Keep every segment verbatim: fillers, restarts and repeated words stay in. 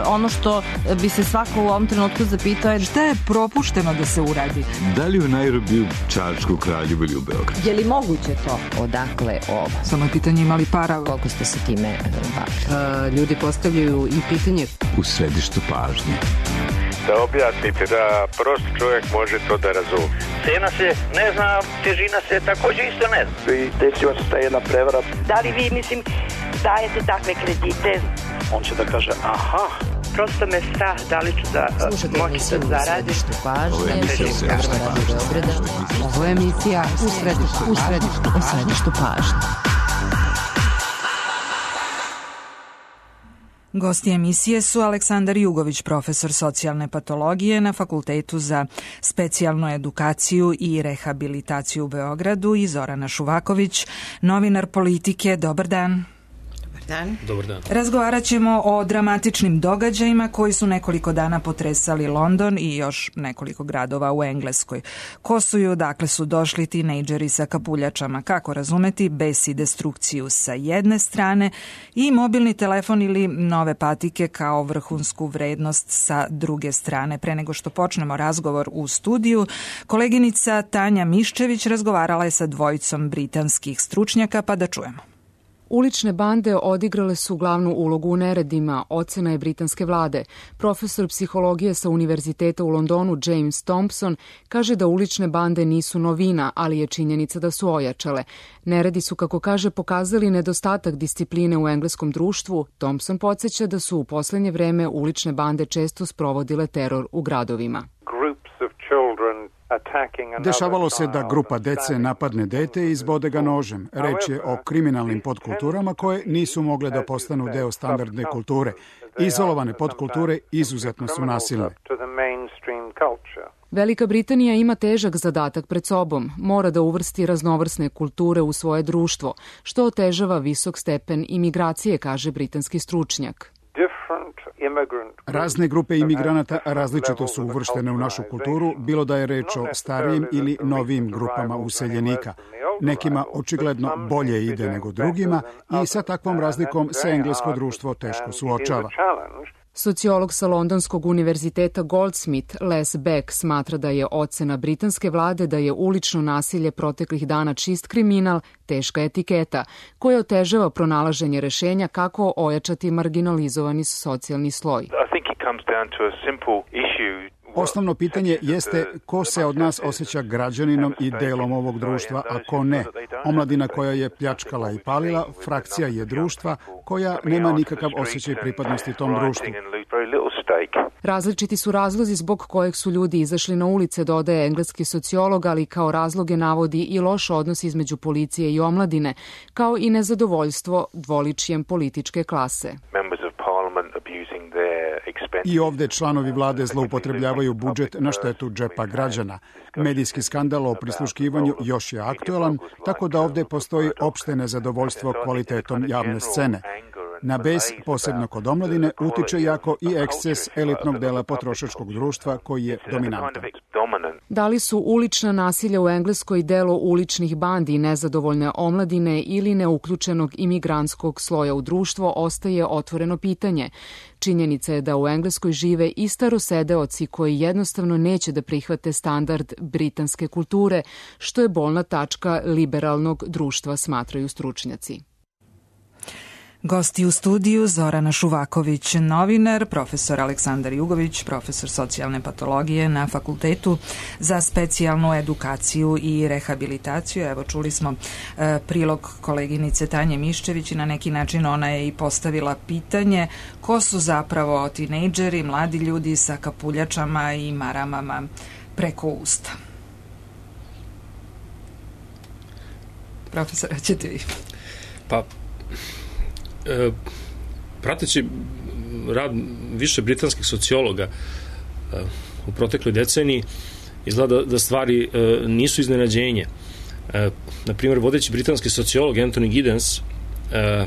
ono što bi se svako u ovom trenutku zapitao je šta je propušteno da se uradi? Da li u Nairobiju, Čačku, Kraljevu ili u Beogradu? Je li moguće to? Odakle ovo? Samo je pitanje imali para. Koliko ste se time bavili? Ljudi postavljaju i pitanje. U središtu pažnje. Da objasnite, da prost čovjek može to da razumije. Cena se ne zna, težina se također isto ne zna. I desila se ta jedna prevara. Da li vi, mislim, dajete takve kredite? On će da kaže, aha. Prosto me strah, da li ću da moći da zaradim. Ovo je emisija u središtu pažnje. Ovo je emisija u središtu, u središtu, u središtu pažnje. Gosti emisije su Aleksandar Jugović, profesor socijalne patologije na Fakultetu za specijalnu edukaciju i rehabilitaciju u Beogradu i Zorana Šuvaković, novinar politike. Dobar dan. Dan. Dobar dan. Razgovarat ćemo o dramatičnim događajima koji su nekoliko dana potresali London i još nekoliko gradova u Engleskoj. Ko su i odakle su došli tinejdžeri sa kapuljačama, kako razumeti bes i destrukciju sa jedne strane i mobilni telefon ili nove patike kao vrhunsku vrednost sa druge strane. Pre nego što počnemo razgovor u studiju, koleginica Tanja Miščević razgovarala je sa dvojicom britanskih stručnjaka, pa da čujemo. Ulične bande odigrale su glavnu ulogu u neredima, ocena je britanske vlade. Profesor psihologije sa Univerziteta u Londonu James Thompson kaže da ulične bande nisu novina, ali je činjenica da su ojačale. Neredi su, kako kaže, pokazali nedostatak discipline u engleskom društvu. Thompson podsjeća da su u poslednje vreme ulične bande često sprovodile teror u gradovima. Dešavalo se da grupa dece napadne dete i izbode ga nožem. Reč je o kriminalnim podkulturama koje nisu mogle da postanu deo standardne kulture. Izolovane podkulture izuzetno su nasilne. Velika Britanija ima težak zadatak pred sobom. Mora da uvrsti raznovrsne kulture u svoje društvo, što otežava visok stepen imigracije, kaže britanski stručnjak. Razne grupe imigranata različito su uvrštene u našu kulturu, bilo da je reč o starijim ili novim grupama useljenika. Nekima očigledno bolje ide nego drugima i sa takvom razlikom se englesko društvo teško suočava. Sociolog sa Londonskog univerziteta Goldsmith, Les Beck, smatra da je ocena britanske vlade da je ulično nasilje proteklih dana čist kriminal, teška etiketa, koja otežava pronalaženje rešenja kako ojačati marginalizovani socijalni sloj. Osnovno pitanje jeste ko se od nas osjeća građaninom i delom ovog društva, a ko ne. Omladina koja je pljačkala i palila, frakcija je društva koja nema nikakav osjećaj pripadnosti tom društvu. Različiti su razlozi zbog kojeg su ljudi izašli na ulice, dodaje engleski sociolog, ali kao razloge navodi i loš odnos između policije i omladine, kao i nezadovoljstvo dvoličjem političke klase. I ovde članovi vlade zloupotrebljavaju budžet na štetu džepa građana. Medijski skandal o prisluškivanju još je aktuelan, tako da ovde postoji opšte nezadovoljstvo kvalitetom javne scene. Na bes, posebno kod omladine, utiče jako i eksces elitnog dela potrošačkog društva koji je dominantan. Da li su ulična nasilja u Engleskoj delo uličnih bandi, nezadovoljne omladine ili neuključenog imigrantskog sloja u društvo, ostaje otvoreno pitanje. Činjenica je da u Engleskoj žive i starosedeoci koji jednostavno neće da prihvate standard britanske kulture, što je bolna tačka liberalnog društva, smatraju stručnjaci. Gosti u studiju Zorana Šuvaković, novinar, profesor Aleksandar Jugović, profesor socijalne patologije na Fakultetu za specijalnu edukaciju i rehabilitaciju. Evo, čuli smo e, prilog koleginice Tanje Miščević i na neki način ona je i postavila pitanje ko su zapravo tinejdžeri, mladi ljudi sa kapuljačama i maramama preko usta. Profesor, ćete vi? Pa, E, prateći rad više britanskih sociologa e, u protekloj deceniji, izgleda da stvari e, nisu iznenađenje. E, na primjer, vodeći britanski sociolog Anthony Giddens e,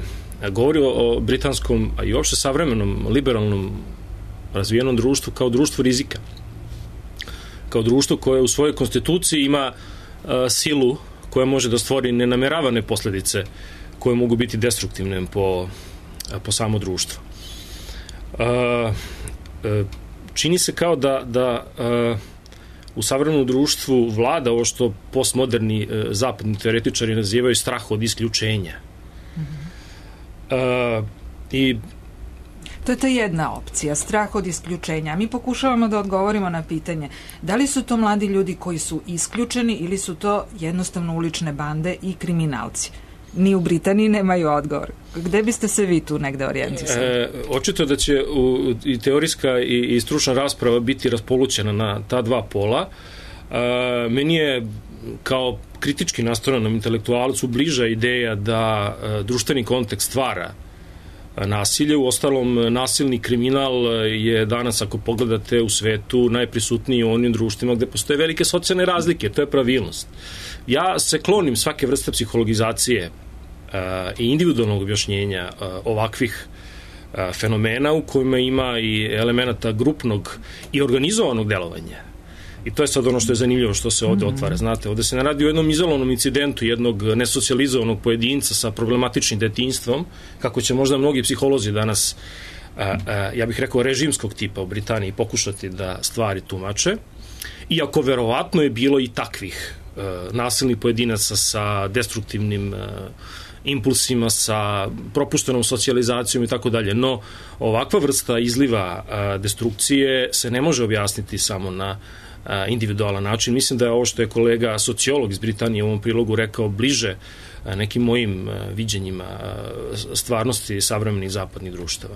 govori o britanskom, a i uopšte savremenom, liberalnom, razvijenom društvu kao društvu rizika. Kao društvo koje u svojoj konstituciji ima e, silu koja može da stvori nenameravane posledice koje mogu biti destruktivne po, po samo društvo. Uh, uh, čini se kao da, da uh, u savremenom društvu vlada ovo što postmoderni uh, zapadni teoretičari nazivaju strah od isključenja. Uh, I to je ta jedna opcija, strah od isključenja. Mi pokušavamo da odgovorimo na pitanje da li su to mladi ljudi koji su isključeni ili su to jednostavno ulične bande i kriminalci. Ni u Britaniji nemaju odgovor. Gde biste se vi tu negde orijentisali? E, očito da će u, i teorijska i, i stručna rasprava biti raspolućena na ta dva pola. E, meni je kao kritički nastrojenom intelektualcu bliža ideja da e, društveni kontekst stvara nasilje. U ostalom, nasilni kriminal je danas, ako pogledate u svetu, najprisutniji u onim društvima gde postoje velike socijalne razlike. To je pravilnost. Ja se klonim svake vrste psihologizacije uh, i individualnog objašnjenja uh, ovakvih uh, fenomena u kojima ima i elemenata grupnog i organizovanog delovanja. I to je sad ono što je zanimljivo što se ovde otvara. Znate, ovde se ne radi o jednom izolovanom incidentu jednog nesocijalizovanog pojedinca sa problematičnim detinjstvom, kako će možda mnogi psiholozi danas, a, a, ja bih rekao, režimskog tipa u Britaniji pokušati da stvari tumače. Iako verovatno je bilo i takvih a, nasilnih pojedinaca sa destruktivnim a, impulsima, sa propuštenom socijalizacijom i tako dalje. No, ovakva vrsta izliva a, destrukcije se ne može objasniti samo na individualan način. Mislim da je ovo što je kolega sociolog iz Britanije u ovom prilogu rekao bliže nekim mojim viđenjima stvarnosti savremenih zapadnih društava.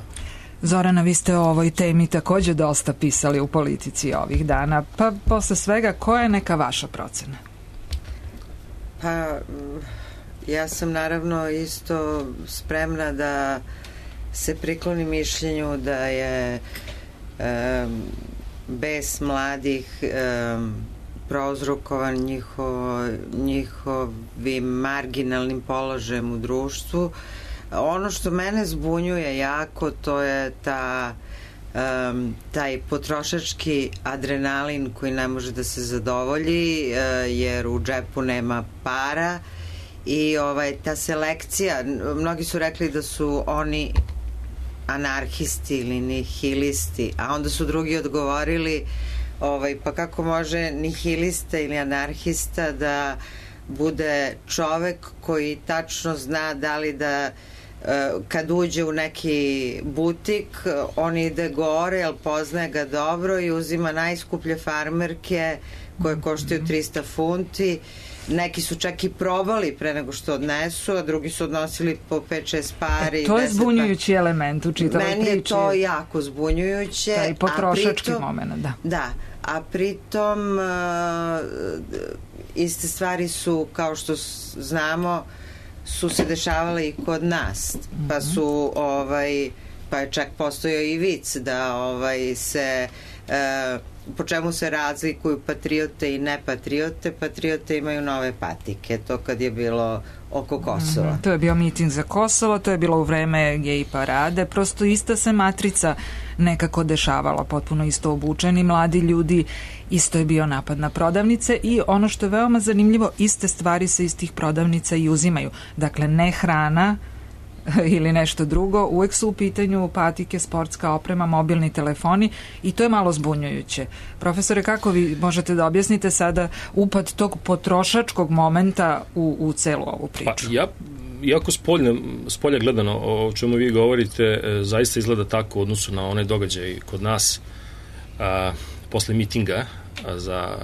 Zorana, vi ste o ovoj temi takođe dosta pisali u Politici ovih dana, pa posle svega, koja je neka vaša procena? Pa, ja sam naravno isto spremna da se prikloni mišljenju da je um, bes mladih um, prouzrokovan njiho, njihovim marginalnim položajem u društvu. Ono što mene zbunjuje jako, to je ta, um, taj potrošački adrenalin koji ne može da se zadovolji uh, jer u džepu nema para i ovaj, ta selekcija, mnogi su rekli da su oni anarhisti ili nihilisti, a onda su drugi odgovorili ovaj, pa kako može nihilista ili anarhista da bude čovek koji tačno zna da li da kad uđe u neki butik on ide gore, jer poznaje ga dobro i uzima najskuplje farmerke koje koštaju trista funti. Neki su čak i probali pre nego što odnesu, a drugi su odnosili po pet šest pari. E, to je zbunjujući pa... element u čitavoj priči. Meni je to jako zbunjujuće. Taj potrošački moment, da. Da, a pritom uh, iste stvari su, kao što znamo, su se dešavale i kod nas. Pa su, ovaj, pa je čak postojao i vic da ovaj, se... Uh, po čemu se razlikuju patriote i nepatriote. Patriote imaju nove patike, to kad je bilo oko Kosova. Mm-hmm. To je bio miting za Kosovo, to je bilo u vreme gej parade, prosto ista se matrica nekako dešavala, potpuno isto obučeni mladi ljudi, isto je bio napad na prodavnice i ono što je veoma zanimljivo, iste stvari se iz tih prodavnica i uzimaju. Dakle, ne hrana ili nešto drugo, uvek su u pitanju patike, sportska oprema, mobilni telefoni i to je malo zbunjujuće. Profesore, kako vi možete da objasnite sada upad tog potrošačkog momenta u, u celu ovu priču? Pa ja, iako spolja, spolja gledano o čemu vi govorite, zaista izgleda tako u odnosu na onaj događaj kod nas a, posle mitinga a, za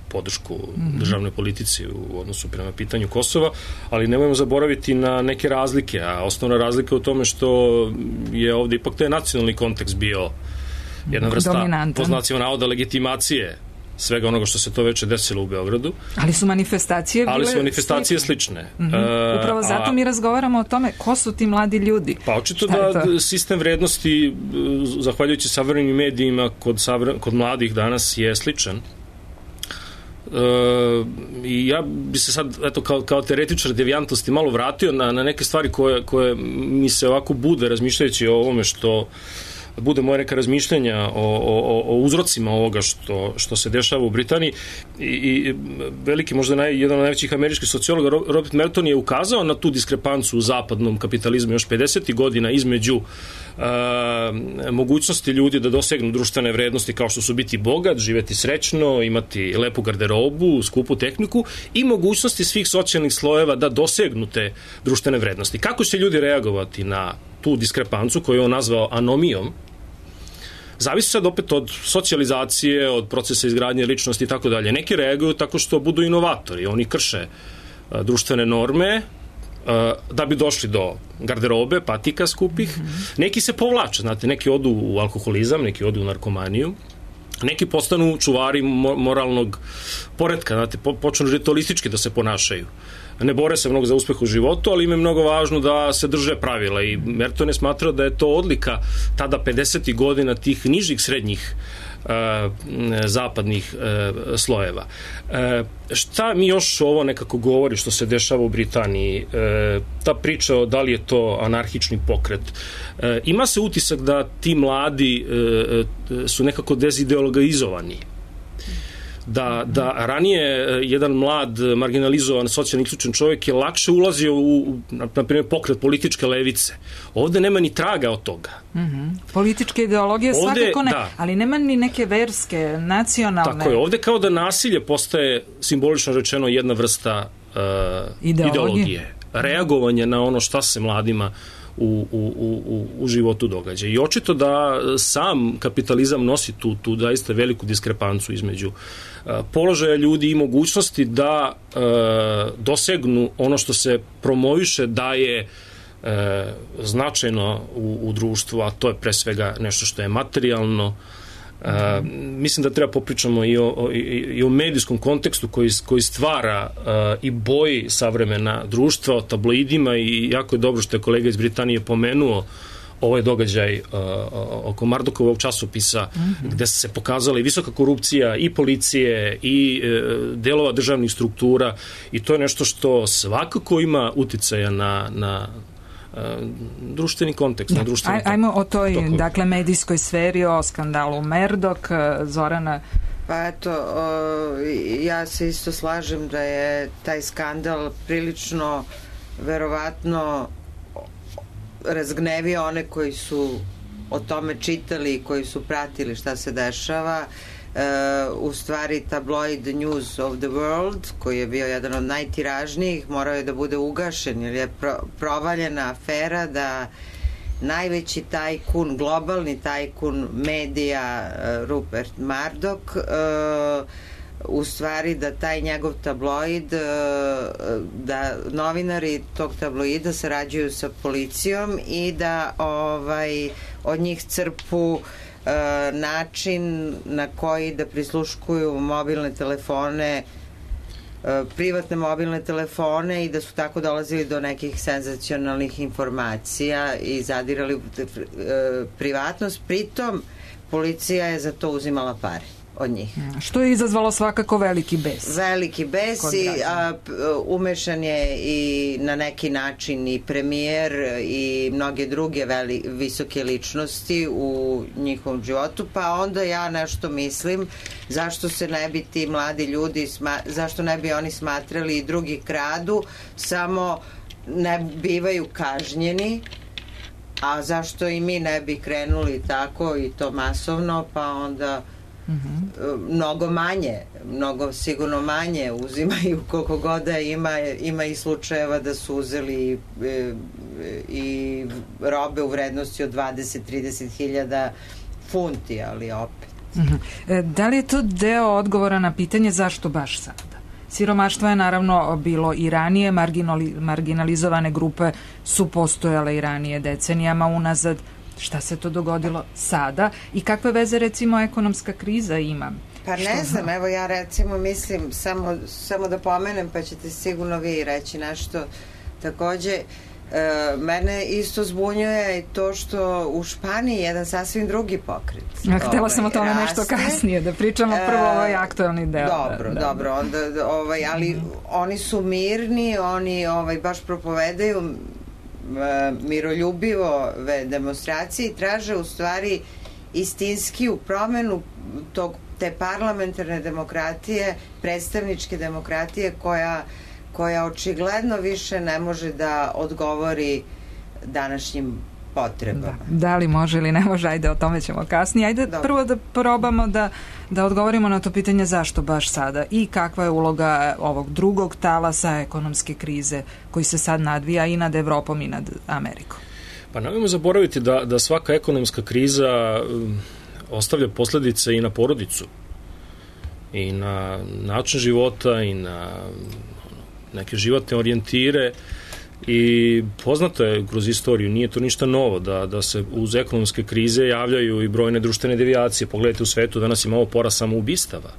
podršku državnoj politici u odnosu prema pitanju Kosova, ali nemojmo zaboraviti na neke razlike, a osnovna razlika je u tome što je ovde ipak taj nacionalni kontekst bio jedna vrsta, po znacima navoda, legitimacije svega onoga što se to veče desilo u Beogradu. Ali su manifestacije bile Ali su manifestacije slične. slične. Mm-hmm. Upravo zato a, mi razgovaramo o tome ko su ti mladi ljudi. Pa očito da sistem vrednosti, zahvaljujući savremenim medijima, kod, savre, kod mladih danas je sličan. Uh, i ja bi se sad eto, kao, kao teoretičar devijantnosti malo vratio na, na neke stvari koje, koje mi se ovako bude razmišljajući o ovome što bude moje neka razmišljanja o, o, o uzrocima ovoga što, što se dešava u Britaniji i, i veliki, možda naj, jedan od najvećih američkih sociologa Robert Merton je ukazao na tu diskrepancu u zapadnom kapitalizmu još pedesetih godina između Uh, mogućnosti ljudi da dosegnu društvene vrednosti kao što su biti bogat, živeti srećno, imati lepu garderobu, skupu tehniku i mogućnosti svih socijalnih slojeva da dosegnu te društvene vrednosti. Kako će ljudi reagovati na tu diskrepancu koju je on nazvao anomijom, zavisi sad opet od socijalizacije, od procesa izgradnje ličnosti i tako dalje. Neki reaguju tako što budu inovatori, oni krše uh, društvene norme da bi došli do garderobe, patika skupih. Neki se povlače, znate, neki odu u alkoholizam, neki odu u narkomaniju, neki postanu čuvari moralnog poretka, znate, počnu ritualistički da se ponašaju. Ne bore se mnogo za uspeh u životu, ali im je mnogo važno da se drže pravila i Merton je smatrao da je to odlika tada pedesetih godina tih nižih srednjih Uh, zapadnih uh, slojeva. Uh, šta mi još ovo nekako govori što se dešava u Britaniji? Uh, ta priča o da li je to anarhični pokret. Uh, ima se utisak da ti mladi uh, su nekako dezideologizovani. Da, da ranije jedan mlad, marginalizovan, socijalno isključen čovjek je lakše ulazio u, na primjer, pokret političke levice. Ovde nema ni traga od toga. Mm-hmm. Političke ideologije ovde, svakako ne, da. Ali nema ni neke verske, nacionalne. Tako je, ovde kao da nasilje postaje, simbolično rečeno, jedna vrsta uh, ideologije. ideologije. Reagovanje na ono šta se mladima U, u, u, u životu događa. I očito da sam kapitalizam nosi tu, tu zaista veliku diskrepancu između uh, položaja ljudi i mogućnosti da uh, dosegnu ono što se promoviše da je uh, značajno u, u društvu, a to je pre svega nešto što je materijalno. Uh, mislim da treba popričamo i o, o, i, i o medijskom kontekstu koji, koji stvara uh, i boji savremena društva, o tabloidima i jako je dobro što je kolega iz Britanije pomenuo ovaj događaj uh, oko Murdokovog časopisa mm-hmm. gde se pokazala i visoka korupcija i policije i uh, delova državnih struktura i to je nešto što svakako ima uticaja na, na društveni kontekst, na društveni Aj, ajmo o toj, tokovi. Dakle, medijskoj sferi, o skandalu Murdoch, Zorana. Pa eto, o, ja se isto slažem da je taj skandal prilično verovatno razgnevio one koji su o tome čitali, koji su pratili šta se dešava. Uh, u stvari tabloid News of the World, koji je bio jedan od najtiražnijih, morao je da bude ugašen jer je pro, provaljena afera da najveći tajkun, globalni tajkun medija uh, Rupert Murdoch uh, u stvari da taj njegov tabloid uh, da novinari tog tabloida sarađuju sa policijom i da ovaj, od njih crpu način na koji da prisluškuju mobilne telefone, privatne mobilne telefone i da su tako dolazili do nekih senzacionalnih informacija i zadirali u privatnost. Pritom policija je za to uzimala pare od njih. Što je izazvalo svakako veliki bes. Veliki bes i a, umešan je i na neki način i premijer i mnoge druge veli, visoke ličnosti u njihovom životu, pa onda ja nešto mislim zašto se ne bi ti mladi ljudi sma, zašto ne bi oni smatrali i drugi kradu, samo ne bivaju kažnjeni, a zašto i mi ne bi krenuli tako i to masovno, pa onda Mm-hmm. mnogo manje, mnogo sigurno manje uzimaju koliko god da ima, ima i slučajeva da su uzeli e, i robe u vrednosti od dvadeset do trideset hiljada funti, ali opet. Mm-hmm. E, da li je to deo odgovora na pitanje zašto baš sada? Siromaštvo je naravno bilo i ranije, marginali, marginalizovane grupe su postojale i ranije decenijama unazad. Šta se to dogodilo sada i kakve veze recimo ekonomska kriza ima? Pa ne Što znam, evo ja recimo mislim samo, samo da pomenem pa ćete sigurno vi reći nešto. Takođe, e, mene isto zbunjuje to što u Španiji jedan sasvim drugi pokret. Ja, htela ovaj, sam o tome raste. Nešto kasnije, da pričamo prvo ovaj aktualni deo. Dobro, da, dobro, da. onda ovaj, ali mm. oni su mirni, oni ovaj, baš propovedaju miroljubivove demonstracije i traže u stvari istinskiju promenu tog, te parlamentarne demokratije, predstavničke demokratije koja, koja očigledno više ne može da odgovori današnjim potrebama. Da, da li može ili ne može, ajde o tome ćemo kasnije. Ajde Dobre. prvo da probamo da, da odgovorimo na to pitanje zašto baš sada i kakva je uloga ovog drugog talasa ekonomske krize koji se sad nadvija i nad Evropom i nad Amerikom. Pa nemojmo zaboraviti da, da svaka ekonomska kriza um, ostavlja posledice i na porodicu i na način života i na neke životne orijentire. I poznato je kroz istoriju, nije to ništa novo, da, da se uz ekonomske krize javljaju i brojne društvene devijacije. Pogledajte u svetu, danas imamo porast samoubistava.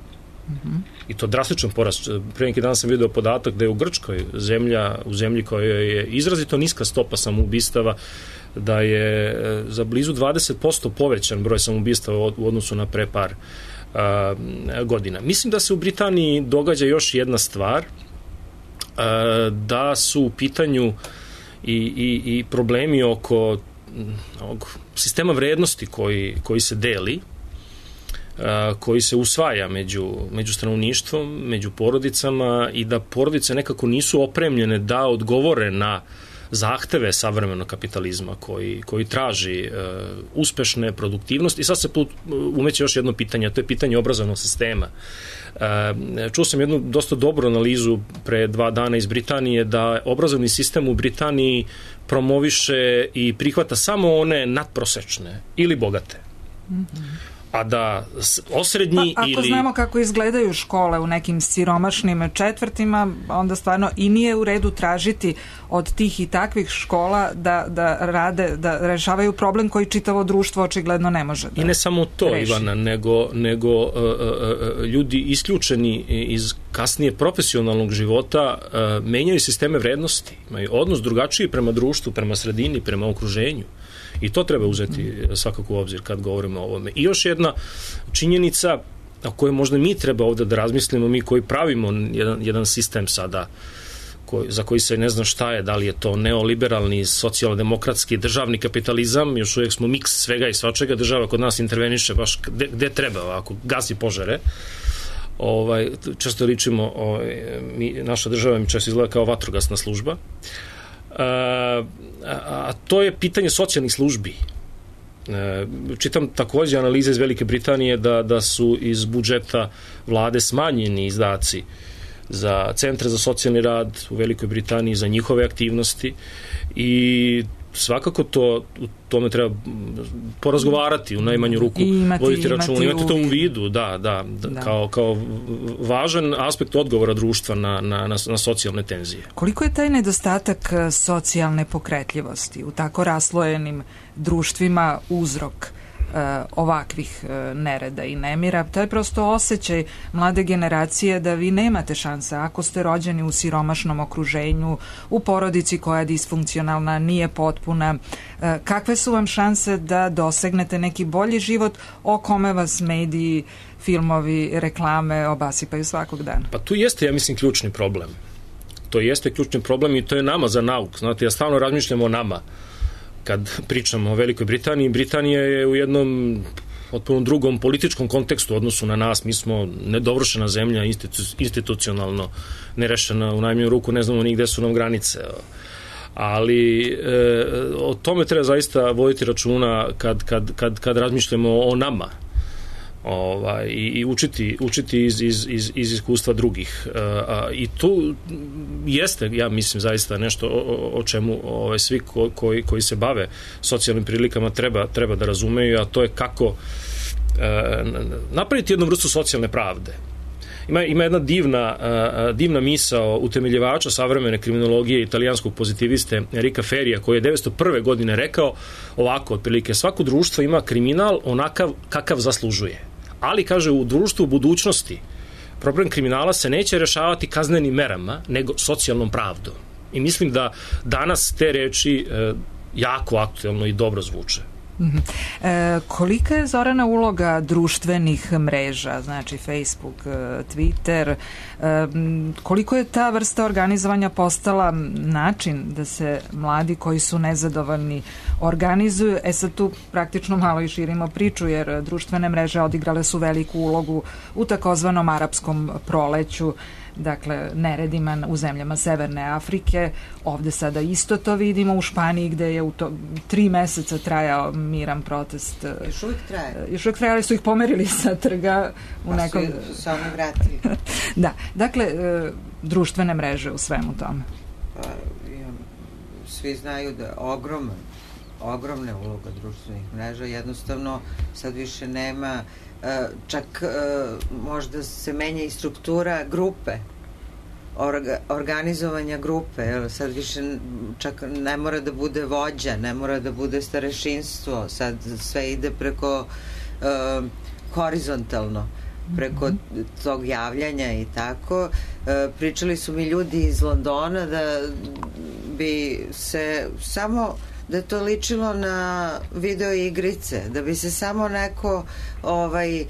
Mm-hmm. I to drastičan porast. Pre neki dan sam vidio podatak da je u Grčkoj zemlja, u zemlji koja je izrazito niska stopa samoubistava, da je za blizu dvadeset posto povećan broj samoubistava u odnosu na pre par a, godina. Mislim da se u Britaniji događa još jedna stvar, da su u pitanju i, i, i problemi oko ovog sistema vrednosti koji, koji se deli, koji se usvaja među, među stanovništvom, među porodicama i da porodice nekako nisu opremljene da odgovore na zahteve savremenog kapitalizma koji, koji traži uh, uspešne produktivnosti. I sad se put, umeće još jedno pitanje, a to je pitanje obrazovnog sistema. Uh, čuo sam jednu dosta dobru analizu pre dva dana iz Britanije da obrazovni sistem u Britaniji promoviše i prihvata samo one nadprosečne ili bogate. Mm-hmm. A da osrednji pa, ako ili... znamo kako izgledaju škole u nekim siromašnim četvrtima, onda stvarno i nije u redu tražiti od tih i takvih škola da, da rade, da rešavaju problem koji čitavo društvo očigledno ne može da I ne samo to, reši. Ivana, nego, nego uh, uh, ljudi isključeni iz kasnije profesionalnog života uh, menjaju sisteme vrednosti, imaju odnos drugačiji prema društvu, prema sredini, prema okruženju. I to treba uzeti svakako u obzir kad govorimo o ovome. I još jedna činjenica o kojoj možda mi treba ovde da razmislimo, mi koji pravimo jedan, jedan sistem sada koji, za koji se ne zna šta je, da li je to neoliberalni, socijaldemokratski, državni kapitalizam, još uvijek smo miks svega i svačega, država kod nas interveniše baš gde, gde treba, ako gasi požare. Ovaj, često ličimo, ovaj, mi, naša država mi često izgleda kao vatrogasna služba. A, a to je pitanje socijalnih službi. Čitam takođe analize iz Velike Britanije da, da su iz budžeta vlade smanjeni izdaci za centre za socijalni rad u Velikoj Britaniji, za njihove aktivnosti i svakako to, u tome treba porazgovarati u najmanju ruku, imati, voditi račun, imati, imati to u vidu, da, da, da. Kao, kao važan aspekt odgovora društva na, na, na, na socijalne tenzije. Koliko je taj nedostatak socijalne pokretljivosti u tako raslojenim društvima uzrok ovakvih nereda i nemira? To je prosto osjećaj mlade generacije da vi nemate šanse ako ste rođeni u siromašnom okruženju, u porodici koja je disfunkcionalna, nije potpuna. Kakve su vam šanse da dosegnete neki bolji život o kome vas mediji, filmovi, reklame obasipaju svakog dana? Pa tu jeste, ja mislim, ključni problem. To jeste ključni problem i to je nama za nauk. Znate, ja stalno razmišljam o nama. Kad pričamo o Velikoj Britaniji, Britanija je u jednom potpuno drugom političkom kontekstu u odnosu na nas. Mi smo nedovršena zemlja, institu- institucionalno nerešena, u najmanju ruku ne znamo ni gde su nam granice. Ali e, o tome treba zaista voditi računa kad, kad, kad, kad razmišljamo o nama. Ovaj, i, i učiti, učiti iz, iz, iz, iz iskustva drugih. E, a, I tu jeste, ja mislim, zaista nešto o, o čemu ovaj, svi ko, koji, koji se bave socijalnim prilikama treba, treba da razumeju, a to je kako e, napraviti jednu vrstu socijalne pravde. Ima, ima jedna divna, uh, divna misao utemeljivača savremene kriminologije italijanskog pozitiviste Enrika Ferija, koji je devetsto prve godine rekao ovako, otprilike, svako društvo ima kriminal onakav kakav zaslužuje. Ali, kaže, u društvu u budućnosti problem kriminala se neće rešavati kaznenim merama, nego socijalnom pravdom. I mislim da danas te reči uh, jako aktuelno i dobro zvuče. Mm-hmm. E, kolika je, Zorana, uloga društvenih mreža, znači Facebook, Twitter, e, koliko je ta vrsta organizovanja postala način da se mladi koji su nezadovoljni organizuju? E sad tu praktično malo i širimo priču, jer društvene mreže odigrale su veliku ulogu u takozvanom arapskom proleću, dakle neredima u zemljama Severne Afrike. Ovde sada isto to vidimo u Španiji, gde je u to tri meseca trajao miran protest. Još uvijek traje. Još uvijek trajali su ih pomerili sa trga u pa nekom... Pa su se vratili. Da, dakle, društvene mreže u svemu tome. Pa, svi znaju da je ogroman, ogromna uloga društvenih mreža, jednostavno sad više nema, čak možda se menja i struktura grupe, orga, organizovanja grupe, sad više čak ne mora da bude vođa, ne mora da bude starešinstvo, sad sve ide preko uh, horizontalno, preko tog javljanja i tako. Uh, pričali su mi ljudi iz Londona da bi se samo da je to ličilo na video igrice, da bi se samo neko ovaj, e,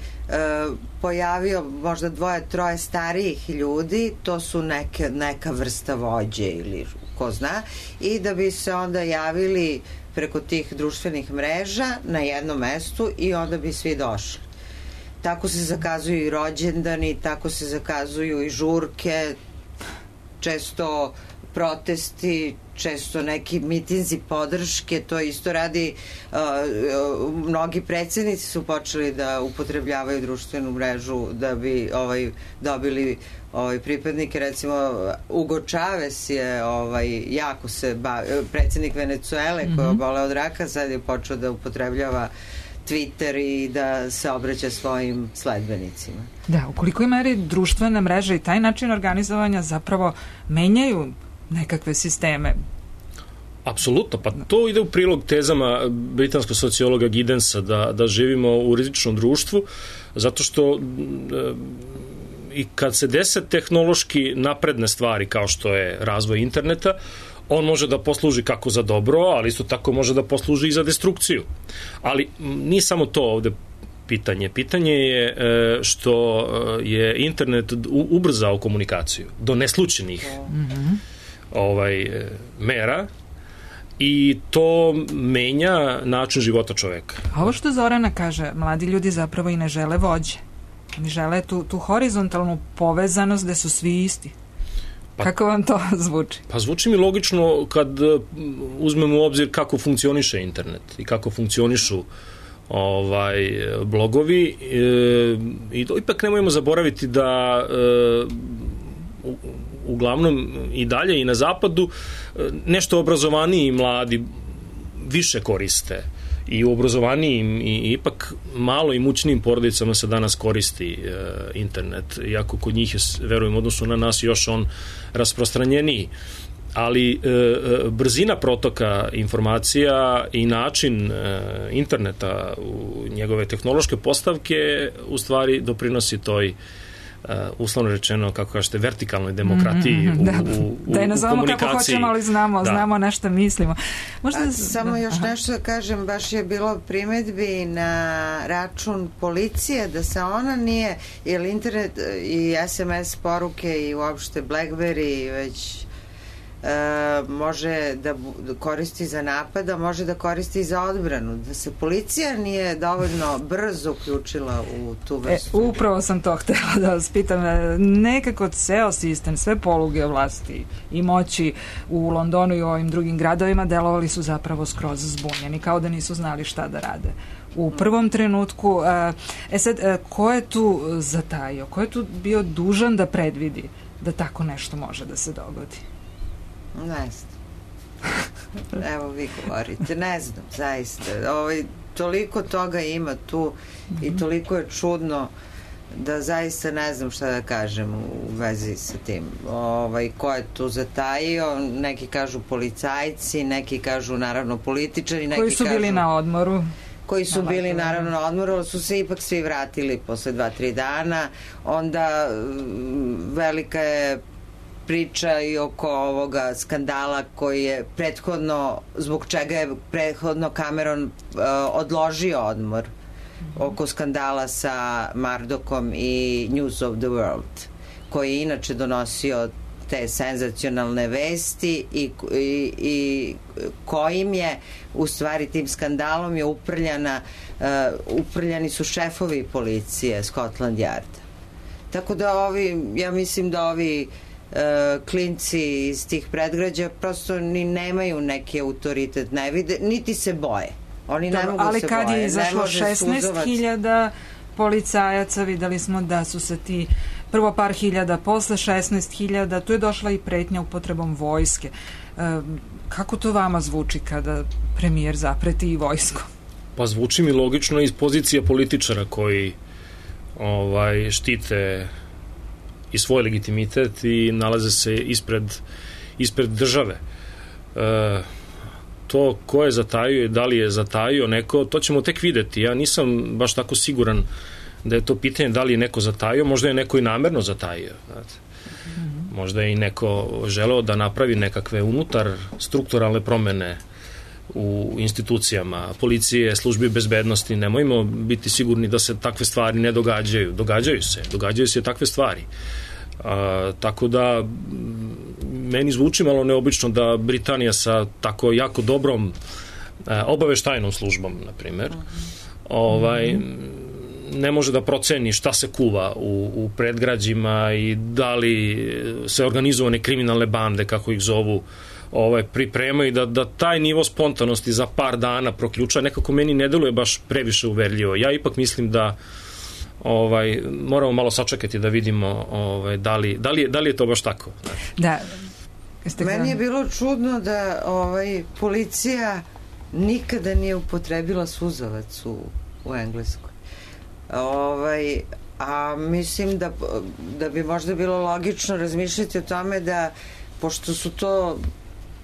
pojavio, možda dvoje, troje starijih ljudi, to su neke, neka vrsta vođe ili ko zna, i da bi se onda javili preko tih društvenih mreža na jednom mestu i onda bi svi došli. Tako se zakazuju i rođendani, tako se zakazuju i žurke, često protesti, često neki mitinzi podrške, to isto radi, uh, uh, mnogi predsjednici su počeli da upotrebljavaju društvenu mrežu da bi ovaj, dobili ovaj, pripadnike, recimo Hugo Chavez je ovaj, jako se ba, predsjednik Venecuele koji je oboleo od raka, sad je počeo da upotrebljava Twitter i da se obraća svojim sledbenicima. Da, u kolikoj meri društvene mreže i taj način organizovanja zapravo menjaju nekakve sisteme? Apsolutno, pa to ide u prilog tezama britanskog sociologa Giddensa da, da živimo u rizičnom društvu, zato što e, i kad se dese tehnološki napredne stvari kao što je razvoj interneta, on može da posluži kako za dobro, ali isto tako može da posluži i za destrukciju. Ali nije samo to ovde pitanje. Pitanje je što je internet ubrzao komunikaciju do neslučajnih mm-hmm. ovaj, mera i to menja način života čoveka. A ovo što Zorana kaže, mladi ljudi zapravo i ne žele vođe. Oni žele tu, tu horizontalnu povezanost gde su svi isti. Pa, kako vam to zvuči? Pa zvuči mi logično kad uzmemo u obzir kako funkcioniše internet i kako funkcionišu ovaj, blogovi e, i to ipak nemojmo zaboraviti da e, u, uglavnom i dalje i na zapadu nešto obrazovaniji mladi više koriste i u obrazovanijim i ipak malo imućnijim porodicama se danas koristi e, internet, iako kod njih je, verujem, odnosno na nas još on rasprostranjeniji. Ali e, brzina protoka informacija i način e, interneta u njegove tehnološke postavke u stvari doprinosi toj Uh, uslovno rečeno, kako kažete, vertikalnoj demokratiji mm-hmm, da, u, u, da je nazovemo u komunikaciji. Kako hoćemo, ali znamo, da. znamo nešto mislimo. Možda A, da, samo da, još aha. nešto da kažem, baš je bilo primetbi na račun policije da se ona nije, jer internet i es em es poruke i uopšte BlackBerry već E, može da koristi za napad, a može da koristi za odbranu, da se policija nije dovoljno brzo uključila u tu vrstu. E, upravo sam to htela da vas pitam. Nekako ceo sistem, sve poluge vlasti i moći u Londonu i u ovim drugim gradovima delovali su zapravo skroz zbunjeni, kao da nisu znali šta da rade u prvom trenutku. E sad, ko je tu zatajio? Ko je tu bio dužan da predvidi da tako nešto može da se dogodi? Ne znam. Evo vi govorite. Ne znam, zaista. Ovaj, toliko toga ima tu i toliko je čudno da zaista ne znam šta da kažem u vezi sa tim. Ovaj, ko je tu zatajio? Neki kažu policajci, neki kažu naravno političari, neki koji su kažu, bili na odmoru. Koji su na bili naravno na odmoru, ali su se ipak svi vratili posle dva, tri dana. Onda velika je priča i oko ovoga skandala koji je prethodno, zbog čega je prethodno Cameron uh, odložio odmor oko skandala sa Murdochom i News of the World, koji je inače donosio te senzacionalne vesti i, i, i kojim je u stvari tim skandalom je uprljana uh, uprljani su šefovi policije Scotland Yarda. Tako da ovi, ja mislim da ovi uh, klinci iz tih predgrađa prosto ni nemaju neki autoritet, ne vide, niti se boje. Oni ne mogu ali se kad boje. Je izašlo šesnaest hiljada policajaca, videli smo da su se ti prvo par hiljada, posle šesnaest hiljada, tu je došla i pretnja upotrebom vojske. E, kako to vama zvuči kada premijer zapreti i vojskom? Pa zvuči mi logično iz pozicije političara koji ovaj, štite i svoj legitimitet i nalaze se ispred, ispred države. E, to ko je zatajio i da li je zatajio neko, to ćemo tek videti. Ja nisam baš tako siguran da je to pitanje da li je neko zatajio, možda je neko i namerno zatajio. Znate. Možda je i neko želeo da napravi nekakve unutar strukturalne promene u institucijama, policije, službi bezbednosti. Nemojmo biti sigurni da se takve stvari ne događaju. Događaju se, događaju se takve stvari. A, tako da meni zvuči malo neobično da Britanija sa tako jako dobrom a, obaveštajnom službom, na primjer, ovaj, ne može da proceni šta se kuva u, u predgrađima i da li se organizovane kriminalne bande, kako ih zovu, ovaj, pripremaju, da, da taj nivo spontanosti za par dana proključa, nekako meni ne deluje baš previše uverljivo. Ja ipak mislim da ovaj, moramo malo sačekati da vidimo ovaj, da, li, da, li je, da li je to baš tako. Da. Meni je bilo čudno da ovaj, policija nikada nije upotrebila suzavac u, u Engleskoj. Ovaj, a mislim da, da bi možda bilo logično razmišljati o tome da, pošto su to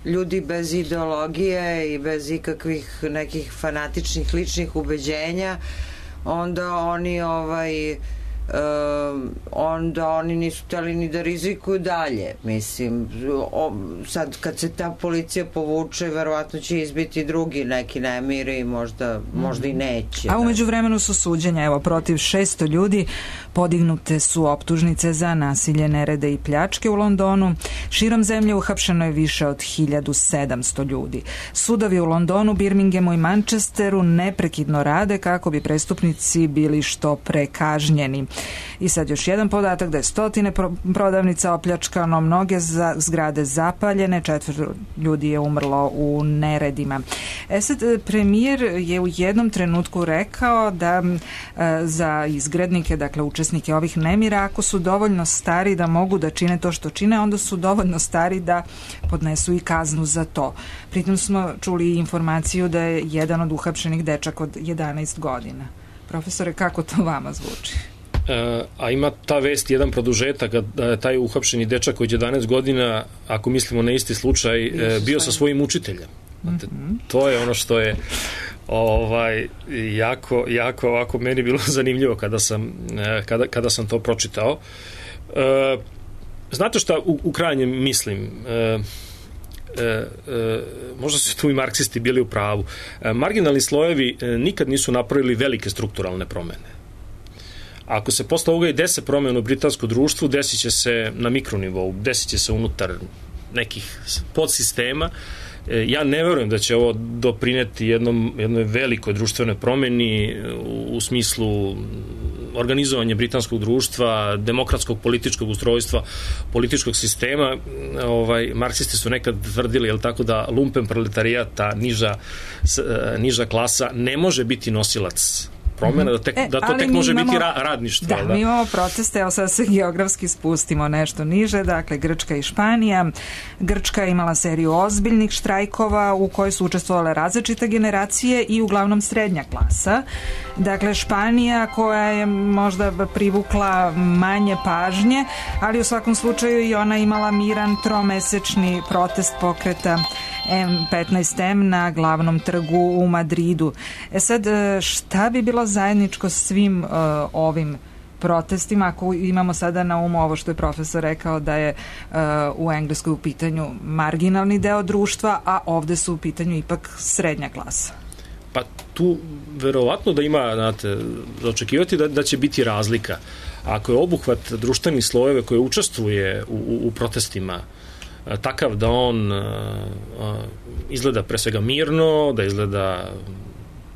ljudi bez ideologije i bez ikakvih nekih fanatičnih ličnih ubeđenja, onda oni ovaj Um, onda oni nisu hteli ni da rizikuju dalje. Mislim, o, sad kad se ta policija povuče, verovatno će izbiti drugi neki nemiri i možda, možda i neće. A umeđu vremenu su suđenja, evo, protiv šesto ljudi podignute su optužnice za nasilje, nerede i pljačke u Londonu. Širom zemlje uhapšeno je više od hiljadu sedamsto ljudi. Sudovi u Londonu, Birminghamu i Manchesteru neprekidno rade kako bi prestupnici bili što pre kažnjeni. I sad još jedan podatak da je stotine prodavnica opljačkano, mnoge za, zgrade zapaljene, četvrt ljudi je umrlo u neredima. E sad, premijer je u jednom trenutku rekao da e, za izgrednike, dakle učesnike ovih nemira, ako su dovoljno stari da mogu da čine to što čine, onda su dovoljno stari da podnesu i kaznu za to. Pritom smo čuli informaciju da je jedan od uhapšenih dečak od jedanaest godina. Profesore, kako to vama zvuči? E, a ima ta vest jedan produžetak da je taj uhapšeni dečak od jedanaest godina, ako mislimo na isti slučaj, e, bio sa svojim učiteljem. Znate, mm-hmm. To je ono što je ovaj, jako, jako ovako meni bilo zanimljivo kada sam, e, kada, kada sam to pročitao. E, znate šta u, u krajnjem mislim? E, E, e, možda su tu i marksisti bili u pravu. E, marginalni slojevi e, nikad nisu napravili velike strukturalne promene. Ako se posle ovoga i dese promene u britanskom društvu, desit će se na mikronivou, desit će se unutar nekih podsistema. E, ja ne verujem da će ovo doprineti jednom, jednoj velikoj društvenoj promeni u, u smislu organizovanja britanskog društva, demokratskog političkog ustrojstva, političkog sistema. Ovaj, marksisti su nekad tvrdili, jel tako, da lumpen proletarijata, niža, niža klasa, ne može biti nosilac promjena, da, tek, e, da to tek može imamo, biti ra, radništvo. Da, da, mi imamo proteste, evo sad se geografski spustimo nešto niže, dakle Grčka i Španija. Grčka je imala seriju ozbiljnih štrajkova u kojoj su učestvovale različite generacije i uglavnom srednja klasa. Dakle, Španija koja je možda privukla manje pažnje, ali u svakom slučaju i ona imala miran tromesečni protest pokreta M petnaest M na glavnom trgu u Madridu. E sad, šta bi bilo zajedničko svim uh, ovim protestima, ako imamo sada na umu ovo što je profesor rekao da je uh, u Engleskoj u pitanju marginalni deo društva, a ovde su u pitanju ipak srednja klasa. Pa tu verovatno da ima, znate, očekivati da, da će biti razlika. Ako je obuhvat društvenih slojeve koje učestvuje u, u, u protestima takav da on a, a, izgleda pre svega mirno, da izgleda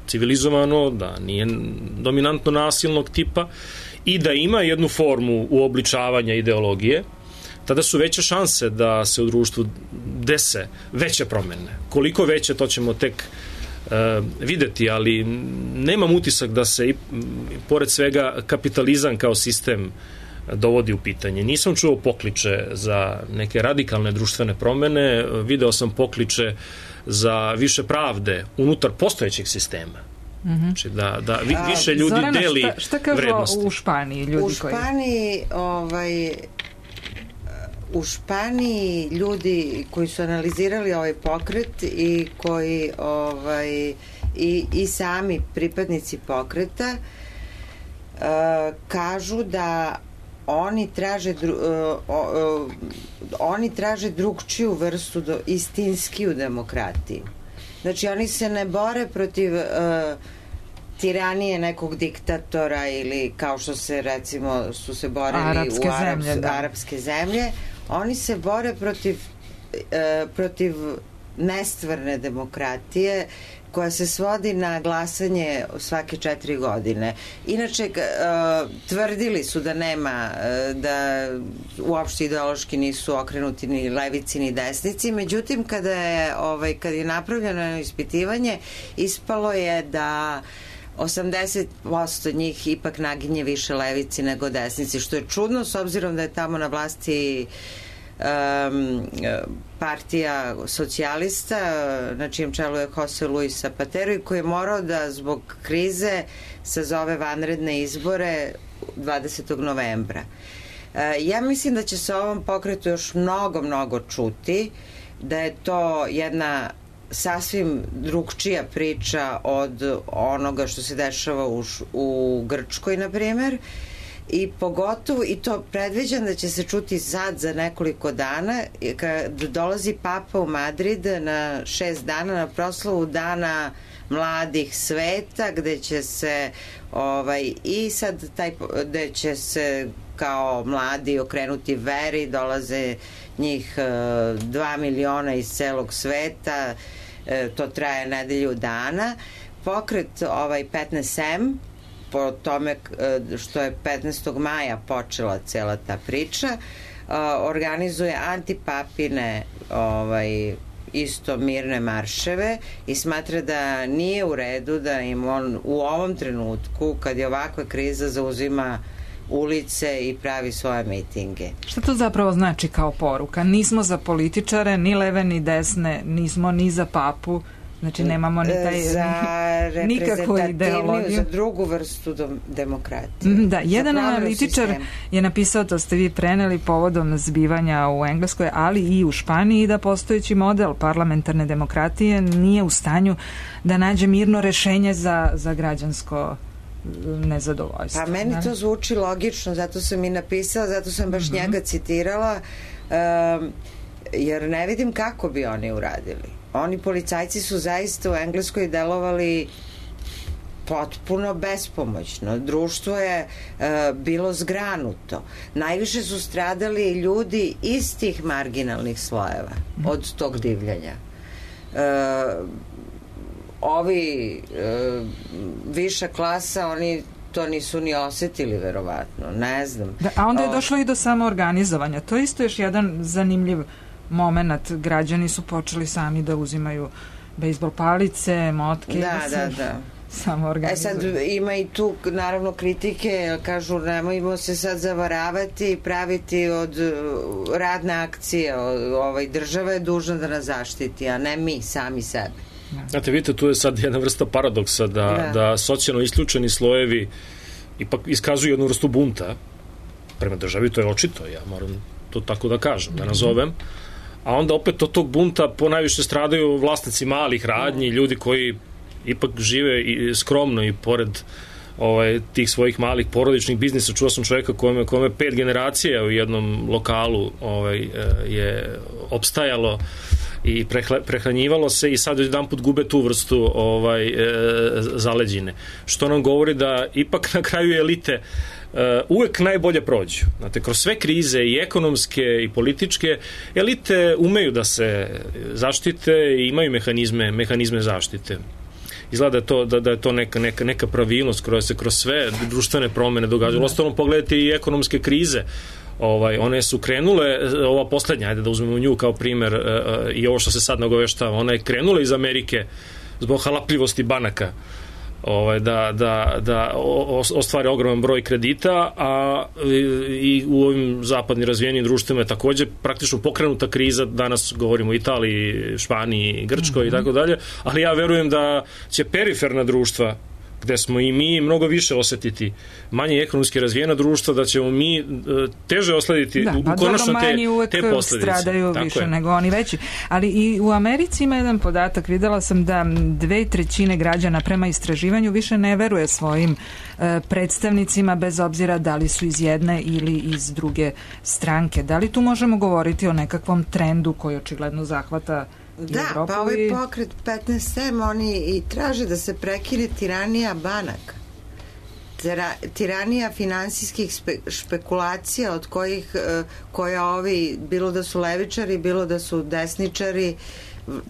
civilizovano, da nije dominantno nasilnog tipa i da ima jednu formu uobličavanja ideologije, tada su veće šanse da se u društvu dese veće promene. Koliko veće, to ćemo tek uh, videti, ali nemam utisak da se i, pored svega kapitalizam kao sistem dovodi u pitanje. Nisam čuo pokliče za neke radikalne društvene promene, video sam pokliče za više pravde unutar postojećeg sistema. Mm-hmm. Znači da, da vi, više ljudi Zorana, deli šta, šta kažu vrednosti. U Španiji ljudi u Španiji, koji... ovaj, u Španiji ljudi koji su analizirali ovaj pokret i koji ovaj, i, i sami pripadnici pokreta uh, kažu da oni traže dru, uh, uh, oni traže drugčiju vrstu do, istinskiju demokratiju. Znači oni se ne bore protiv uh, tiranije nekog diktatora ili kao što se recimo su se borili arapske u Arabs, zemlje, da. arapske zemlje. Oni se bore protiv uh, protiv nestvarne demokratije koja se svodi na glasanje svake četiri godine. Inače, uh, tvrdili su da nema, uh, da uopšte ideološki nisu okrenuti ni levici ni desnici, međutim, kada je, ovaj, kad je napravljeno ispitivanje, ispalo je da osamdeset posto njih ipak naginje više levici nego desnici, što je čudno s obzirom da je tamo na vlasti Um, partija socijalista na čijem čelu je Jose Luis Zapatero i koji je morao da zbog krize sazove vanredne izbore dvadesetog novembra. Uh, ja mislim da će se o ovom pokretu još mnogo, mnogo čuti, da je to jedna sasvim drugčija priča od onoga što se dešava u, u Grčkoj, na primjer. I pogotovo, i to predviđam da će se čuti sad za nekoliko dana, kad dolazi Papa u Madrid na šest dana na proslavu Dana mladih sveta, gde će se ovaj, i sad taj, gde će se kao mladi okrenuti veri, dolaze njih dva miliona iz celog sveta, to traje nedelju dana. Pokret ovaj petnaest em, po tome što je petnaestog maja počela cela ta priča, organizuje antipapine ovaj, isto mirne marševe i smatra da nije u redu da im on u ovom trenutku, kad je ovakva kriza, zauzima ulice i pravi svoje mitinge. Šta to zapravo znači kao poruka? Nismo za političare, ni leve ni desne, nismo ni za papu, znači nemamo ni taj za nikakvu ideologiju, za drugu vrstu demokratije. Da, jedan analitičar je napisao, to ste vi preneli povodom zbivanja u Engleskoj, ali i u Španiji, da postojeći model parlamentarne demokratije nije u stanju da nađe mirno rešenje za, za građansko nezadovoljstvo. Pa meni to zvuči logično, zato sam i napisala, zato sam baš mm-hmm. njega citirala, um, jer ne vidim kako bi oni uradili. Oni policajci su zaista u Engleskoj delovali potpuno bespomoćno. Društvo je e, bilo zgranuto. Najviše su stradali ljudi iz tih marginalnih slojeva od tog divljanja. E, ovi e, viša klasa, oni to nisu ni osetili, verovatno. Ne znam. Da, a onda je došlo i do samoorganizovanja. To je isto još jedan zanimljiv moment. Građani su počeli sami da uzimaju bejsbol palice, motke. Da, da, da, da. Samo organizuju. E sad ima i tu naravno kritike, kažu nemojmo se sad zavaravati i praviti od radne akcije, ovaj, država je dužna da nas zaštiti, a ne mi sami sebe. Znate, vidite, tu je sad jedna vrsta paradoksa da, da. da socijalno isključeni slojevi ipak iskazuju jednu vrstu bunta prema državi, to je očito, ja moram to tako da kažem, da nazovem, a onda opet od tog bunta ponajviše stradaju vlasnici malih radnji, ljudi koji ipak žive i skromno i pored ovaj, tih svojih malih porodičnih biznisa. Čuo sam čovjeka kome, kome pet generacija u jednom lokalu ovaj, je opstajalo i prehranjivalo se i sad jedan put gube tu vrstu ovaj, e, zaleđine. Što nam govori da ipak na kraju elite Uh, uvek najbolje prođu. Znate, kroz sve krize i ekonomske i političke, elite umeju da se zaštite i imaju mehanizme, mehanizme zaštite. Izgleda da je to, da, da je to neka, neka, neka pravilnost koja se kroz sve društvene promene događaju. Ostalom pogledajte i ekonomske krize. Ovaj, one su krenule, ova poslednja, ajde da uzmemo nju kao primer, uh, i ovo što se sad nagoveštava, ona je krenula iz Amerike zbog halapljivosti banaka, Ovaj, da, da, da ostvare ogroman broj kredita, a i u ovim zapadnim razvijenim društvima je takođe praktično pokrenuta kriza, danas govorimo o Italiji, Španiji, Grčkoj mm-hmm. i tako dalje, ali ja verujem da će periferna društva, gde smo i mi mnogo više osetiti manje ekonomski razvijena društva, da ćemo mi teže oslediti da, u, pa konačno te, te posljedice. Stradaju tako više je. Nego oni veći. Ali i u Americi ima jedan podatak, videla sam da dve trećine građana prema istraživanju više ne veruje svojim e, predstavnicima, bez obzira da li su iz jedne ili iz druge stranke. Da li tu možemo govoriti o nekakvom trendu koji očigledno zahvata Da, Evropu pa ovaj i... pokret petnaest em oni i traže da se prekine tiranija banaka. Tira, tiranija finansijskih spe, špekulacija od kojih koja ovi, bilo da su levičari, bilo da su desničari,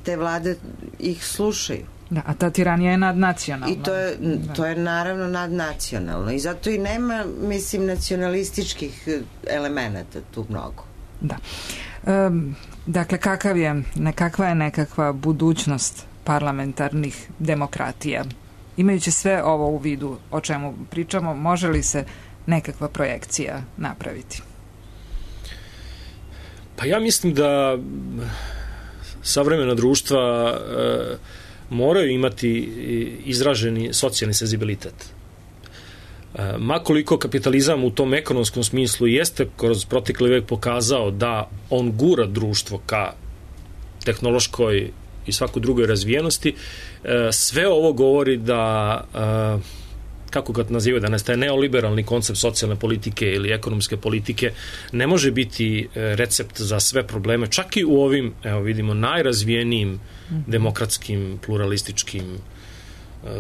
te vlade ih slušaju. Da, a ta tiranija je nadnacionalna. I to je, to je naravno nadnacionalno. I zato i nema, mislim, nacionalističkih elemenata tu mnogo. Da. Um, dakle, kakav je, nekakva je nekakva budućnost parlamentarnih demokratija? Imajući sve ovo u vidu o čemu pričamo, može li se nekakva projekcija napraviti? Pa ja mislim da savremena društva e, moraju imati izraženi socijalni senzibilitet. E, makoliko kapitalizam u tom ekonomskom smislu jeste kroz protekli vek pokazao da on gura društvo ka tehnološkoj i svakoj drugoj razvijenosti, e, sve ovo govori da e, kako ga nazivaju danas, taj neoliberalni koncept socijalne politike ili ekonomske politike ne može biti recept za sve probleme, čak i u ovim, evo vidimo, najrazvijenijim demokratskim, pluralističkim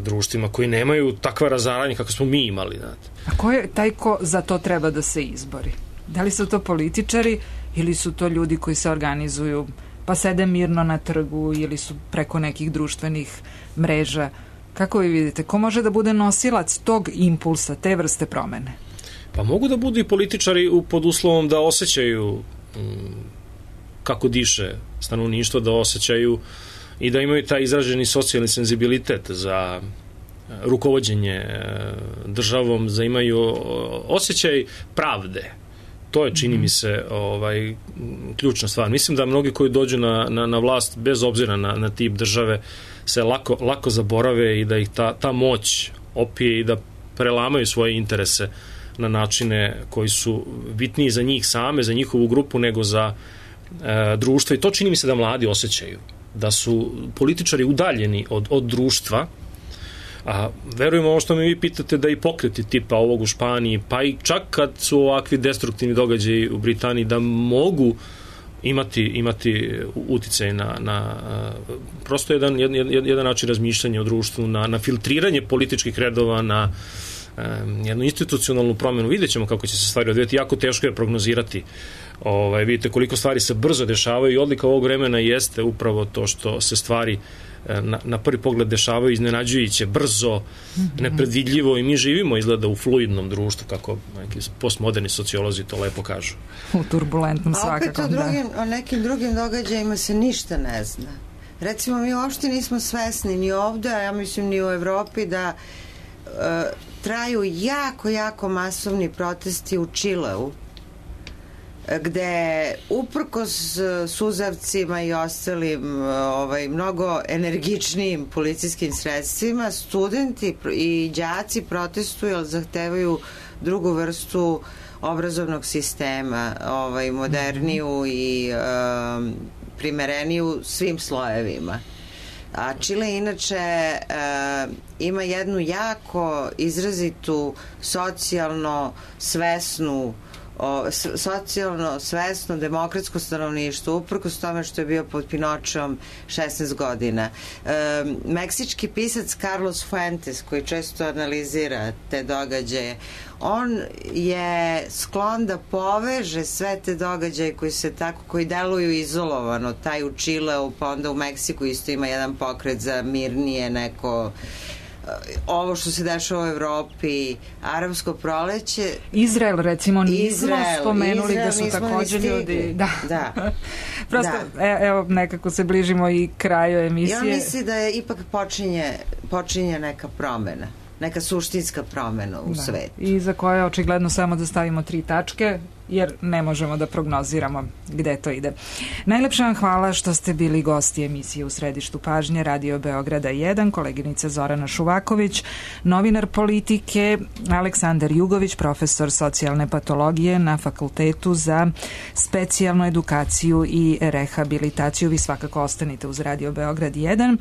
društvima koji nemaju takva razaranja kako smo mi imali. Znate. A ko je taj ko za to treba da se izbori? Da li su to političari ili su to ljudi koji se organizuju pa sede mirno na trgu ili su preko nekih društvenih mreža? Kako vi vidite, ko može da bude nosilac tog impulsa, te vrste promene? Pa mogu da budu i političari pod uslovom da osjećaju m, kako diše stanovništvo, da osjećaju i da imaju taj izraženi socijalni senzibilitet za rukovođenje državom, za imaju osjećaj pravde. To je, čini mi se, ovaj, ključna stvar. Mislim da mnogi koji dođu na, na, na vlast, bez obzira na, na tip države, se lako, lako zaborave i da ih ta, ta moć opije i da prelamaju svoje interese na načine koji su bitniji za njih same, za njihovu grupu, nego za e, društvo. I to čini mi se da mladi osjećaju. Da su političari udaljeni od, od društva. A verujemo ovo što me vi pitate, da i pokreti tipa ovog u Španiji, pa i čak kad su ovakvi destruktivni događaji u Britaniji, da mogu imati, imati uticaj na, na prosto jedan, jedan, jedan način razmišljanja o društvu, na, na filtriranje političkih redova, na um, jednu institucionalnu promjenu. Vidjet ćemo kako će se stvari odvijeti. Jako teško je prognozirati. Ovaj, vidite koliko stvari se brzo dešavaju i odlika ovog vremena jeste upravo to što se stvari Na, na prvi pogled dešavaju iznenađujuće, brzo, nepredvidljivo, i mi živimo izgleda u fluidnom društvu, kako neki postmoderni sociolozi to lepo kažu. U turbulentnom svakako. A opet o, drugim, o nekim drugim događajima se ništa ne zna. Recimo, mi uopšte nismo svesni ni ovde, a ja mislim ni u Evropi, da uh, traju jako, jako masovni protesti u Čileu, gde uprkos suzavcima i ostalim ovaj, mnogo energičnijim policijskim sredstvima, studenti i đaci protestuju, ali zahtevaju drugu vrstu obrazovnog sistema, ovaj, moderniju i um, primereniju svim slojevima. A Čile inače e, ima jednu jako izrazitu socijalno svesnu o, socijalno svesno demokratsko stanovništvo, uprkos tome što je bio pod Pinočom šesnaest godina. E, meksički pisac Carlos Fuentes, koji često analizira te događaje, on je sklon da poveže sve te događaje koji se tako, koji deluju izolovano, taj u Čileu, pa onda u Meksiku isto ima jedan pokret za mirnije neko, ovo što se dešava u Evropi, arapsko proleće. Izrael, recimo, nismo Izrael, spomenuli Izrael, da su također ljudi. Da. da. Prosto, da. E, evo, nekako se bližimo i kraju emisije. Ja mislim da je ipak počinje, počinje neka promena, neka suštinska promena u da. svetu. I za koje očigledno samo da stavimo tri tačke, jer ne možemo da prognoziramo gde to ide. Najlepša vam hvala što ste bili gosti emisije U središtu pažnje Radio Beograda jedan, koleginica Zorana Šuvaković, novinar politike Aleksandar Jugović, profesor socijalne patologije na Fakultetu za specijalnu edukaciju i rehabilitaciju. Vi svakako ostanite uz Radio Beograd jedan.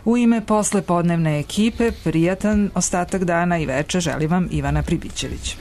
U ime poslepodnevne ekipe prijatan ostatak dana i veče želim vam Ivana Pribićević.